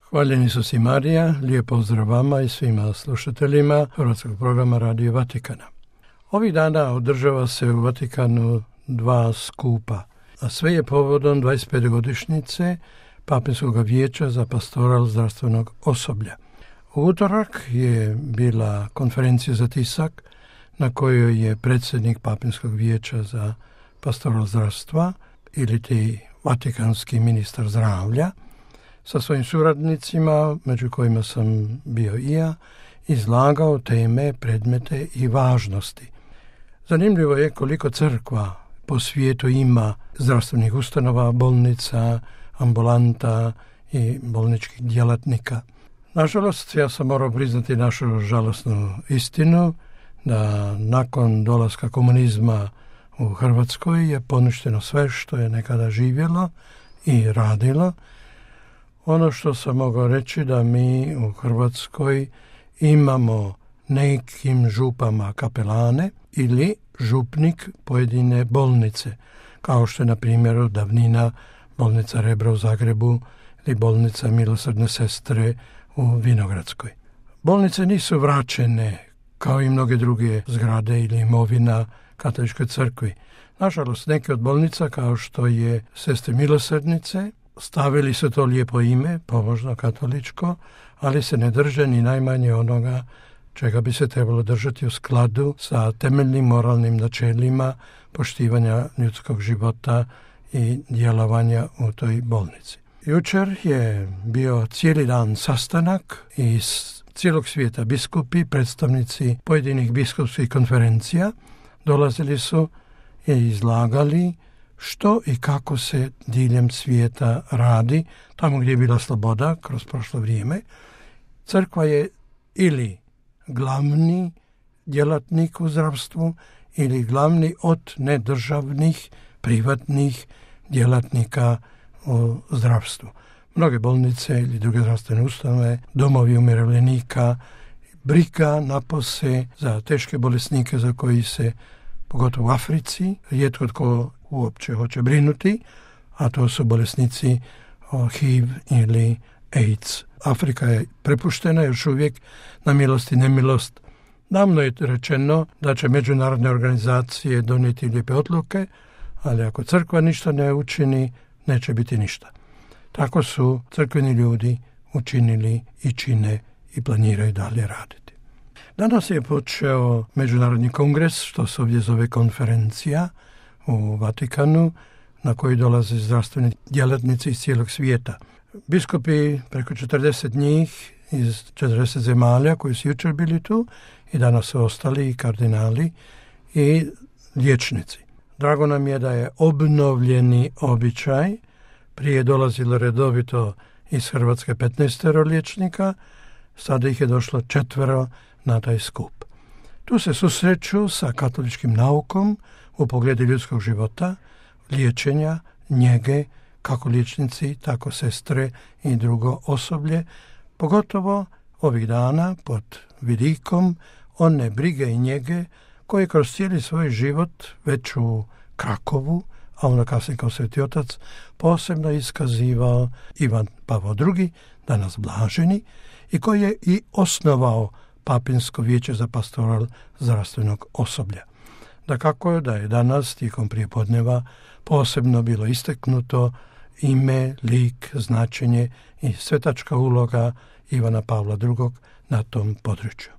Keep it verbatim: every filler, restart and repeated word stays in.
Hvaljeni su si Marija, lijep pozdrav vama i svima slušateljima Hrvatskog programa Radio Vatikana. Ovih dana održava se u Vatikanu dva skupa, a sve je povodom dvadeset pete godišnjice Papinskog vijeća za pastoral zdravstvenog osoblja. U utorak je bila konferencija za tisak na kojoj je predsjednik Papinskog vijeća za pastoral zdravstva ili ti vatikanski ministar zdravlja sa svojim suradnicima, među kojima sam bio i ja, izlagao teme, predmete i važnosti. Zanimljivo je koliko crkva po svijetu ima zdravstvenih ustanova, bolnica, ambulanta i bolničkih djelatnika. Nažalost, ja sam morao priznati našu žalosnu istinu da nakon dolaska komunizma u Hrvatskoj je poništeno sve što je nekada živjelo i radilo. Ono što sam mogao reći da mi u Hrvatskoj imamo nekim župama kapelane ili župnik pojedine bolnice, kao što je na primjer davnina bolnica Rebro u Zagrebu ili bolnica Milosrdne sestre u Vinogradskoj. Bolnice nisu vraćene kao i mnoge druge zgrade ili imovina katoličkoj crkvi. Nažalost, neke od bolnica kao što je Sestre Milosrdnice stavili su to lijepo ime, pomožno katoličko, ali se ne drže ni najmanje onoga čega bi se trebalo držati u skladu sa temeljnim moralnim načelima poštivanja ljudskog života i djelovanja u toj bolnici. Jučer je bio cijeli dan sastanak iz cijelog svijeta biskupi, predstavnici pojedinih biskupskih konferencija dolazili su i izlagali što i kako se diljem svijeta radi, tamo gdje je bila sloboda kroz prošlo vrijeme. Crkva je ili glavni djelatnik u zdravstvu ili glavni od nedržavnih, privatnih djelatnika u zdravstvu. Mnoge bolnice ili druge zdravstvene ustanove, domovi umirovljenika, briga napose za teške bolesnike za koji se, pogotovo u Africi, rijetko tko uopće hoće brinuti, a to su bolesnici H I V ili AIDS. Afrika je prepuštena još uvijek na milost i nemilost. Davno je rečeno da će međunarodne organizacije donijeti lijepe odluke, ali ako crkva ništa ne učini, neće biti ništa. Tako su crkveni ljudi učinili i čine i planiraju dalje raditi. Danas je počeo Međunarodni kongres, što se ovdje zove konferencija u Vatikanu, na koji dolaze zdravstveni djelatnici iz cijelog svijeta. Biskupi, preko četrdeset njih iz četrdeset zemalja koji su jučer bili tu i danas su ostali i kardinali i liječnici. Drago nam je da je obnovljeni običaj. Prije je dolazilo redovito iz Hrvatske petnaestero liječnika, sada ih je došlo četvero na taj skup. Tu se susreću sa katoličkim naukom u pogledu ljudskog života, liječenja, njege, kako liječnici, tako sestre i drugo osoblje, pogotovo ovih dana pod vidikom one brige i njege koje kroz cijeli svoj život već u Krakovu, a onda kasnije kao Sveti Otac, posebno iskazivao Ivan Pavao drugi, danas blaženi, i koji je i osnovao Papinsko vijeće za pastoral zdravstvenog osoblja. Dakako je da je danas tijekom prijepodneva posebno bilo istaknuto ime, lik, značenje i svetačka uloga Ivana Pavla drugog na tom području.